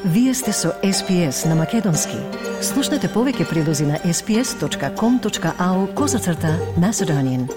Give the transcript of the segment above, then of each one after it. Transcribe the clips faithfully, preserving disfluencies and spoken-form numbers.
Вие сте со Ес Пи Ес на Македонски. Слушнете повеќе прилози на ес пи ес точка ком точка ау козацрта Macedonian.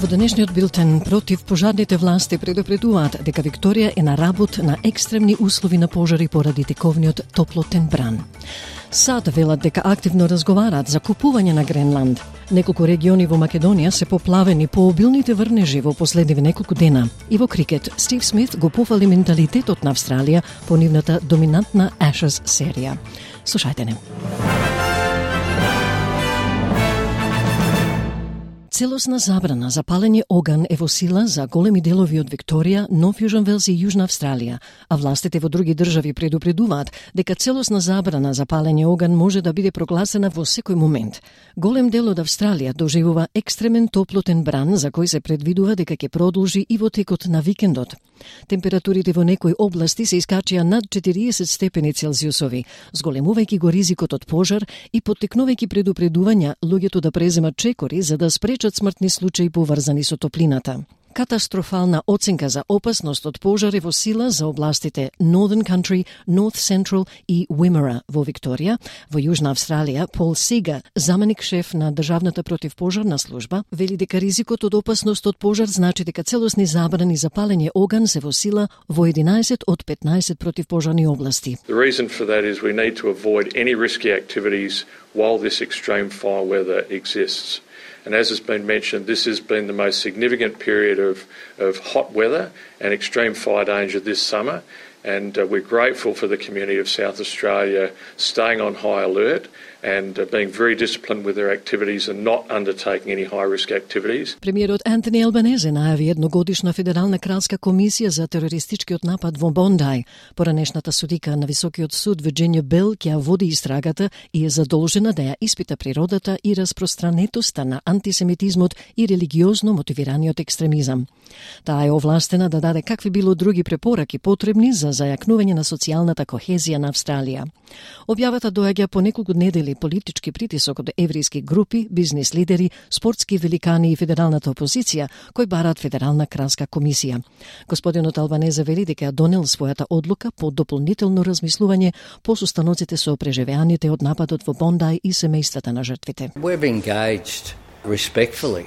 Во денешниот билтен против пожарните власти предупредуваат дека Викторија е на работ на екстремни услови на пожари поради тековниот топлотен бран. САД велат дека активно разговараат за купување на Гренланд. Неколку региони во Македонија се поплавени по обилните врнежи во последниве неколку дена. И во крикет, Стив Смит го пофали менталитетот на Австралија по нивната доминантна Ashes серија. Слушајте не. Целосна забрана за палење оган е во сила за големи делови од Викторија, Нов Јужен Велс и Јужна Австралија, а властите во други држави предупредуваат дека целосна забрана за палење оган може да биде прогласена во секој момент. Голем дел од Австралија доживува екстремен топлотен бран за кој се предвидува дека ќе продолжи и во текот на викендот. Температурите во некои области се искачија над четириесет степени Целзиусови, зголемувајќи го ризикот од пожар и поттикнувајќи предупредувања луѓето да преземат чекори за да спречат смртни случаи поврзани со топлината. Катастрофална оценка за опасност од пожар е во сила за областите Northern Country, North Central и Wimmera во Викторија. Во Јужна Австралија, Пол Сега, заменик шеф на Државната противпожарна служба, вели дека ризикот од опасност од пожар значи дека целосни забрани за палење оган се во сила во единаесет од петнаесет противпожарни области. The reason for that is we need to avoid any risky activities while this extreme fire weather exists. And as has been mentioned, this has been the most significant period of, of hot weather and extreme fire danger this summer. And uh, we're grateful for the community of South Australia staying on high alert and uh, being very disciplined with their activities and not undertaking any high-risk activities. Премиерот Антони Албанезе најави едногодишна федерална кралска комисија за терористичкиот напад во Бондај. Поранешната судика на Високиот суд Вирџинија Бел ќе води истрагата и е задолжена да ја испита природата и распространетоста на антисемитизмот и религиозно мотивираниот екстремизам. Таа е овластена да даде какви било други препораки потребни за зајакнување на социјалната кохезија на Австралија. Објавата доаѓа по неколку недели политички притисок од еврејски групи, бизнис лидери, спортски великани и федералната опозиција, кои бараат федерална кралска комисија. Господинот Албанезе вели дека донел својата одлука по дополнително размислување по состаноците со преживеаните од нападот во Бондај и семејствата на жртвите. We've engaged respectfully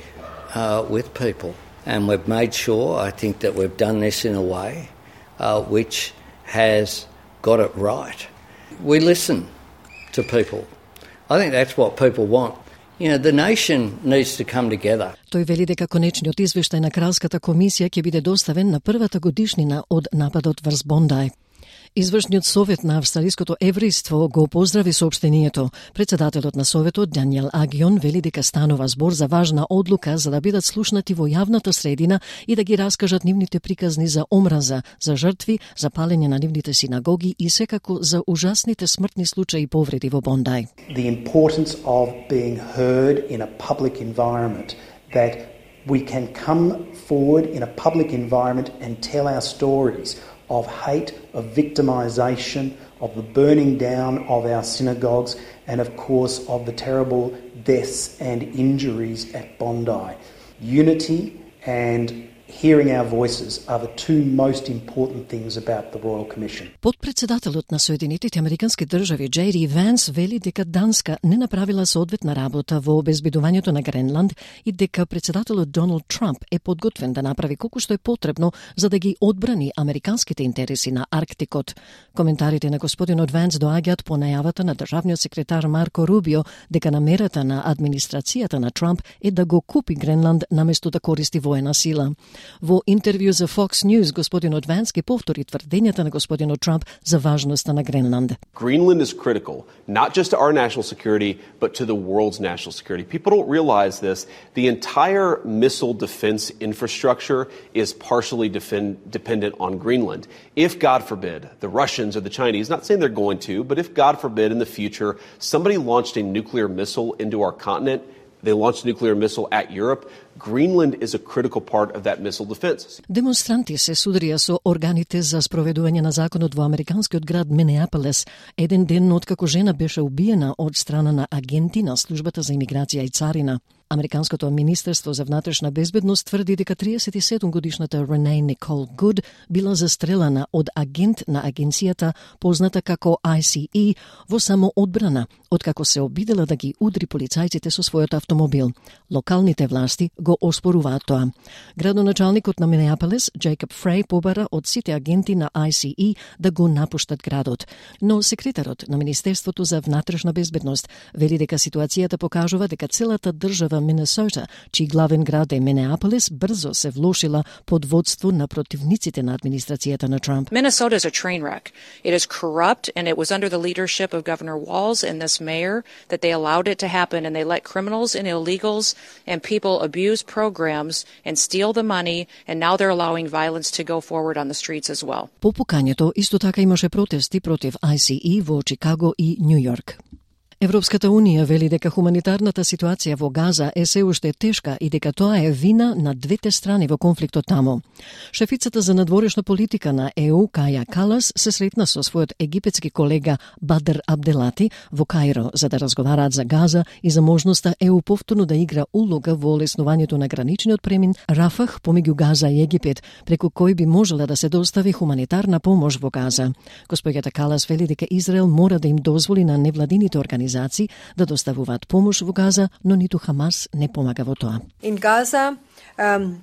uh, with people and we've made sure, I think, that we've done this in a way uh, which has got it right. We listen to people. I think that's what people want. You know, the nation needs to come together. Тој вели дека конечниот извештај на Кралската комисија ќе биде доставен на првата годишнина од нападот врз Бондај. Извршниот совет на австралиското еврејство го поздрави соопштението. Председателот на советот Даниел Агион вели дека станува збор за важна одлука за да бидат слушнати во јавната средина и да ги раскажат нивните приказни за омраза, за жртви, за палење на нивните синагоги и секако за ужасните смртни случаи и повреди во Бондај. The importance of being heard in a public environment, that we can come forward in a public environment and tell our stories of hate, of victimisation, of the burning down of our synagogues, and of course of the terrible deaths and injuries at Bondi. Unity and hearing our voices are the two most important things about the Royal Commission. Подпредседателот на Соединетите Американски држави Джей Ди Ванс вели дека Данска не направила соодветна работа во обезбедувањето на Гренланд и дека председателот Доналд Трамп е подготвен да направи колку што е потребно за да ги одбрани американските интереси на Арктикот. Коментарите на господинот Ванс доаѓаат по најавата на државниот секретар Марко Рубио дека намерата на администрацијата на Трамп е да го купи Гренланд наместо да користи воена сила. Во интервју за Fox News, господинот Ванс ги повтори тврдењата на господинот Трамп за важноста на Гренланд. Greenland is critical, not just to our national security, but to the world's national security. People don't realize this. The entire missile defense infrastructure is partially defend, dependent on Greenland. If, God forbid, the Russians or the Chinese, not saying they're going to, but if, God forbid, in the future, somebody launched a nuclear missile into our continent, they launched a nuclear missile at Europe, Greenland is a critical part of that missile defense. Демонстранти се судрија со органите за спроведување на законот во американскиот град Минеаполис, еден ден откако жена беше убиена од страна на агенти на службата за имиграција и царина. Американското министерство за внатрешна безбедност тврди дека триесет и седум годишната Рене Никол Гуд била застрелана од агент на агенцијата позната како I C E во самоодбрана, откако се обидела да ги удри полицајците со својот автомобил. Локалните власти го оспоруваат тоа. Градоначалникот на Минеаполис, Джейкоб Фрей, побара од сите агенти на I C E да го напуштат градот. Но секретарот на Министерството за внатрешна безбедност вели дека ситуацијата покажува дека целата држава Минесота, чиј главен град е Минеаполис, брзо се влошила под водство на противниците на администрацијата на Трамп. Minnesota is a train wreck. It is corrupt, and it was under the leadership of Governor Walz and this mayor that they allowed it to happen, and they let criminals and illegals and people abuse programs and steal the money, and now they're allowing violence to go forward on the streets as well. По покањето исто така имаше протести против I C E во Чикаго и Њу Јорк. Европската Унија вели дека хуманитарната ситуација во Газа е се уште тешка и дека тоа е вина на двете страни во конфликтот таму. Шефицата за надворешна политика на Е У, Каја Калас, се сретна со својот египетски колега Бадр Абделати во Каиро за да разговараат за Газа и за можноста Е У повторно да игра улога во олеснувањето на граничниот премин Рафах помеѓу Газа и Египет, преку кој би можела да се достави хуманитарна помош во Газа. Госпоѓата Калас вели дека Израел мора да им дозволи на невладините организации да доставуваат помош во Газа, но ниту Хамас не помага во тоа. In Gaza, um,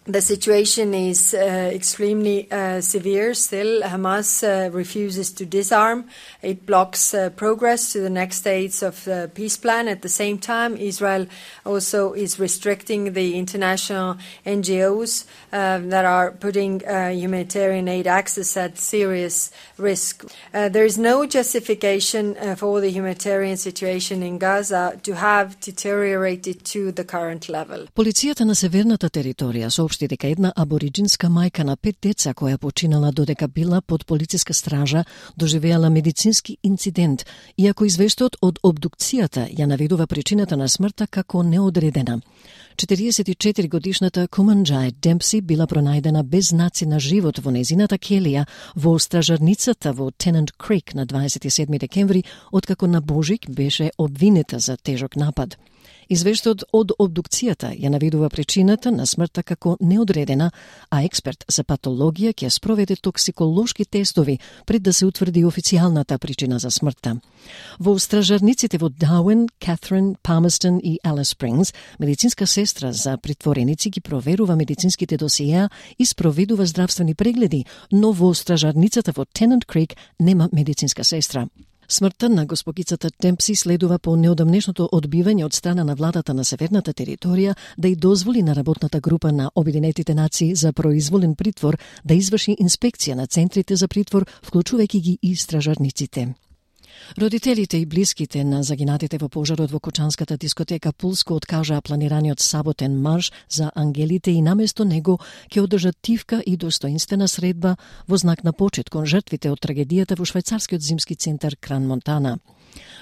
the situation is uh, extremely uh, severe still. Hamas uh, refuses to disarm. It blocks uh, progress to the next stage of the peace plan. At the same time, Israel also is restricting the international N G Os uh, that are putting uh, humanitarian aid access at serious risk. Uh, there is no justification uh, for the humanitarian situation in Gaza to have deteriorated to the current level. Полицијата на северната територија соопшти дека една абориджинска мајка на пет деца која починала додека била под полициска стража доживеала медицински инцидент, иако извештајот од обдукцијата ја наведува причината на смртта како неодредена. четириесет и четири годишната Куманџај Демпси била пронајдена без знаци на живот во незината келија во стражарницата во Тенант Крик на дваесет и седми декември, откако на Божик беше обвинета за тежок напад. Извештајот од обдукцијата ја наведува причината на смртта како неодредена, а експерт за патологија ќе спроведе токсиколошки тестови пред да се утврди официјалната причина за смртта. Во стражарниците во Дауен, Катрин, Палмерстон и Алис Спрингс, медицинска сестра за притвореници ги проверува медицинските досиеа и спроведува здравствени прегледи, но во стражарницата во Тенант Крик нема медицинска сестра. Смртта на госпогицата Демпси следува по неодамнешното одбивање од страна на владата на северната територија да и дозволи на работната група на Обединетите нации за произволен притвор да изврши инспекција на центрите за притвор, вклучувајќи ги и стражарниците. Родителите и блиските на загинатите во пожарот во Кучанската дискотека Пулско откажаа планираниот саботен марш за ангелите и наместо него ќе одржат тивка и достоинствена средба во знак на почит кон жртвите од трагедијата во швајцарскиот зимски центар Кран Монтана.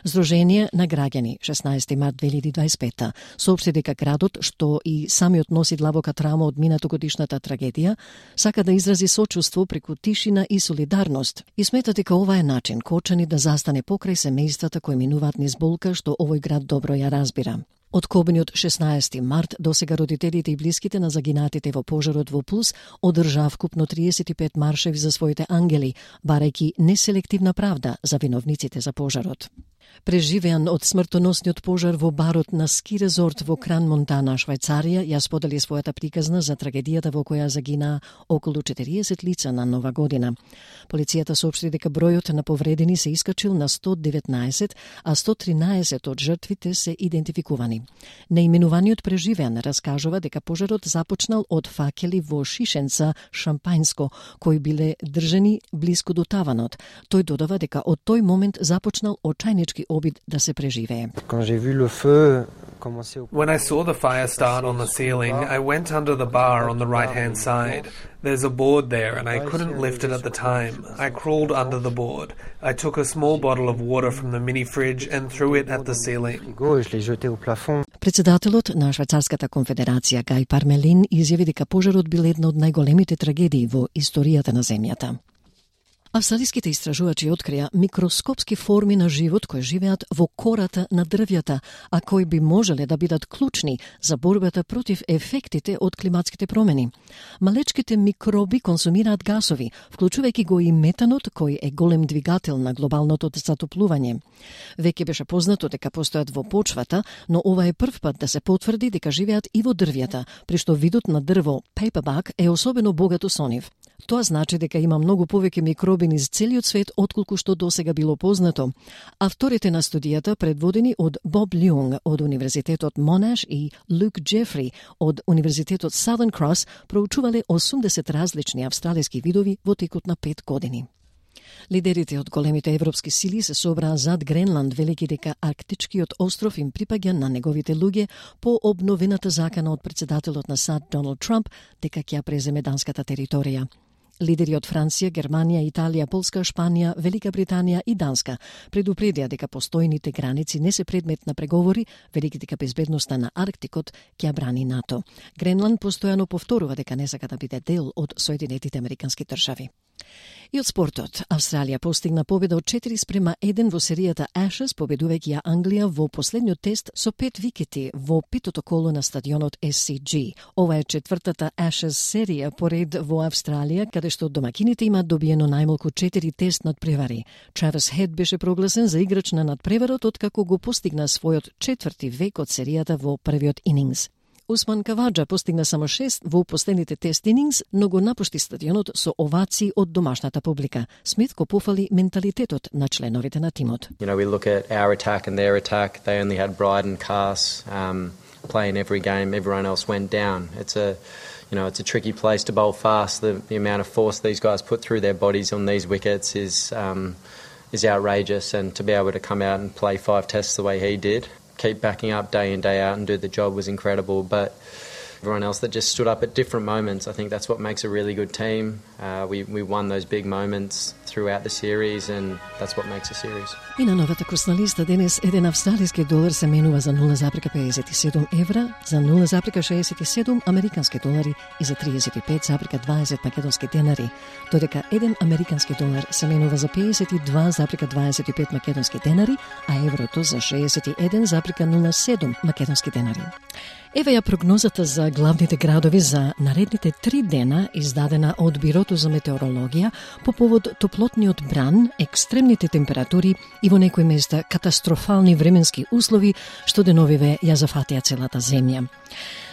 Сдружение на граѓани шеснаесети март две илјади дваесет и пета соопшти дека градот, што и самиот носи длабока траума од минатогодишната трагедија, сака да изрази сочувство преку тишина и солидарност и смета дека ова е начин Кочани да застане покрај семејствата кои минуваат низ болка што овој град добро ја разбира. Од кобниот шеснаесети март досега родителите и блиските на загинатите во пожарот во Пулс одржаа вкупно триесет и пет маршеви за своите ангели, барајќи неселективна правда за виновниците за пожарот. Преживеан од смртоносниот пожар во барот на ски резорт во Кран Монтана, Швајцарија, ја сподели својата приказна за трагедијата во која загинаа околу четириесет лица на Нова година. Полицијата соопшти дека бројот на повредени се искачил на сто деветнаесет, а сто тринаесет од жртвите се идентификувани. Наименуваниот преживеан раскажува дека пожарот започнал од факели во шишенца шампајнско, кои биле држани блиску до таванот. Тој додава дека од тој момент започнал очајнички обид да се преживее. When I saw the fire start on the ceiling, I went under the bar on the right-hand side. There's a board there and I couldn't lift it at the time. I crawled under the board. I took a small bottle of water from the mini fridge and threw it at the ceiling. Председателот на Швајцарската конфедерација Гај Пармелин изјави дека пожарот бил една од најголемите трагедии во историјата на земјата. Австралиските истражувачи открија микроскопски форми на живот кои живеат во кората на дрвјата, а кои би можеле да бидат клучни за борбата против ефектите од климатските промени. Малечките микроби консумираат гасови, вклучувајќи го и метанот, кој е голем двигател на глобалното затоплување. Веќе беше познато дека постојат во почвата, но ова е прв пат да се потврди дека живеат и во дрвјата, при што видот на дрво paperback е особено богато со нив. Тоа значи дека има многу повеќе микроби низ целиот свет отколку што досега било познато. Авторите на студијата, предводени од Боб Лјунг од Универзитетот Монаш и Люк Джефри од Универзитетот Southern Cross, проучувале осумдесет различни австралиски видови во текот на пет години. Лидерите од големите европски сили се собраа зад Гренланд, велики дека арктичкиот остров им припаѓа на неговите луѓе по обновената закана од председателот на САД Доналд Трамп дека ќе преземе данската територија. Лидери од Франција, Германија, Италија, Полска, Шпанија, Велика Британија и Данска предупредија дека постојните граници не се предмет на преговори, велики дека безбедноста на Арктикот ќе ја брани НАТО. Гренланд постојано повторува дека не сака да биде дел од Соединетите Американски држави. И од спортот, Австралија постигна победа од четири спрема еден во серијата Ashes, победувајќи ја Англија во последниот тест со пет викети во петото коло на стадионот Ес Си Джи. Ова е четвртата Ashes серија поред во Австралија, каде што домакините имаат добиено најмалку четири тест надпревари. Травис Хед беше прогласен за играч на надпреварот откако го постигна својот четврти век од серијата во првиот инингс. Усман Каваджа постигна само шест во последните тест инингс, но го напушти стадионот со овации од домашната публика. Смит го пофали менталитетот на членовите на тимот. You know, we look at our attack and their attack. They only had Bryden, Cass um, playing every game. Everyone else went down. It's a, you know, it's a tricky place to bowl fast. The, the amount of force these guys put through their bodies on these wickets is um, is outrageous, and to be able to come out and play five tests the way he did, keep backing up day in, day out and do the job was incredible. But everyone else that just stood up at different moments, I think that's what makes a really good team. Uh, we, we won those big moments throughout the series, and that's what makes a series. И на новата курсна листа денес еден австралиски долар се менува за нула запрека педесет и седум евра, за нула запрека шеесет и седум американски долари и за тридесет и пет запрека дваесет македонски денари, додека еден американски долар се менува за педесет и два запрека дваесет и пет македонски денари, а еврото за шеесет и еден запрека нула седум македонски денари. Еве ја прогнозата за главните градови за наредните три дена, издадена од Бирото за метеорологија по повод топлотниот бран, екстремните температури и во некои места катастрофални временски услови што деновиве ја зафатија целата земја.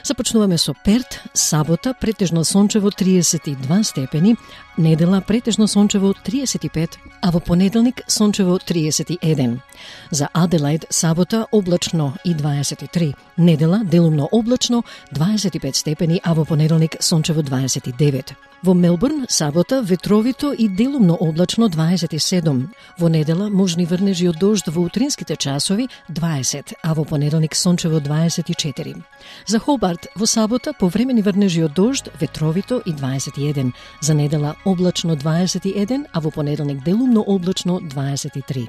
Започнуваме со Перт, сабота претежно сончево триесет и два степени, недела претежно сончево триесет и пет, а во понеделник сончево триесет и еден. За Аделаид сабота облачно и дваесет и три, недела делумно облачно дваесет и пет степени, а во понеделник сончево дваесет и девет. Во Мелбурн сабота ветровито и делумно облачно дваесет и седум. Во недела можни врнежи од дожд во утринските часови дваесет, а во понеделник сончево дваесет и четири. За Хобарт во сабота повремени врнежи од дожд, ветровито и дваесет и еден. За недела облачно дваесет и еден, а во понеделник делумно облачно дваесет и три.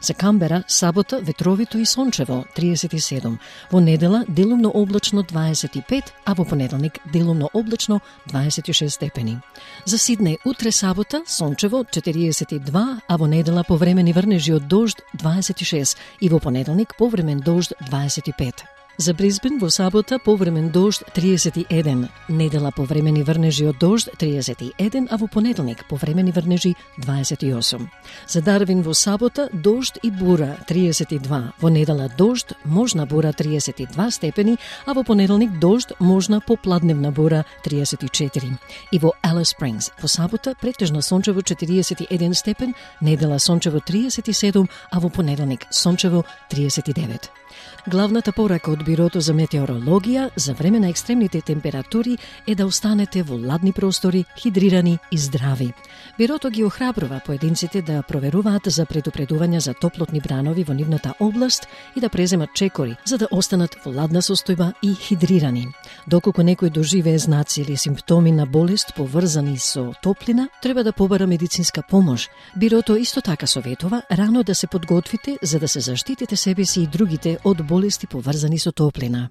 За Камбера сабота ветровито и сончево триесет и седум. Во недела делумно облачно дваесет и пет, а во понеделник делумно облачно дваесет и шест степени. За Сиднеј утре сабота сончево четириесет и два, а во недела повремени врнежи од дожд дваесет и шест и во понеделник повремен дожд дваесет и пет. За Брисбен во сабота повремен дожд триесет и еден, недела повремени врнежи од дожд триесет и еден, а во понеделник повремени врнежи дваесет и осум. За Дарвин во сабота дожд и бура триесет и два, во недела дожд, можна бура триесет и два степени, а во понеделник дожд, можна попладневна бура триесет и четири. И во Алис Спрингс во сабота претежно сончево четириесет и еден степен, недела сончево триесет и седум, а во понеделник сончево триесет и девет. Главната порака од Бирото за метеорологија за време на екстремните температури е да останете во ладни простори, хидрирани и здрави. Бирото ги охрабрува поединците да проверуваат за предупредувања за топлотни бранови во нивната област и да преземат чекори за да останат во ладна состојба и хидрирани. Доколку некој доживее знаци или симптоми на болест поврзани со топлина, треба да побара медицинска помош. Бирото исто така советува рано да се подготвите за да се заштитите себе си и другите од болести поврзани со топлина.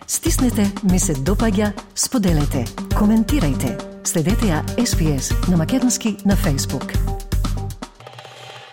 Стиснете, ми се допаѓа, споделете, коментирајте. Следете ја Ес Би Ес на македонски на Facebook.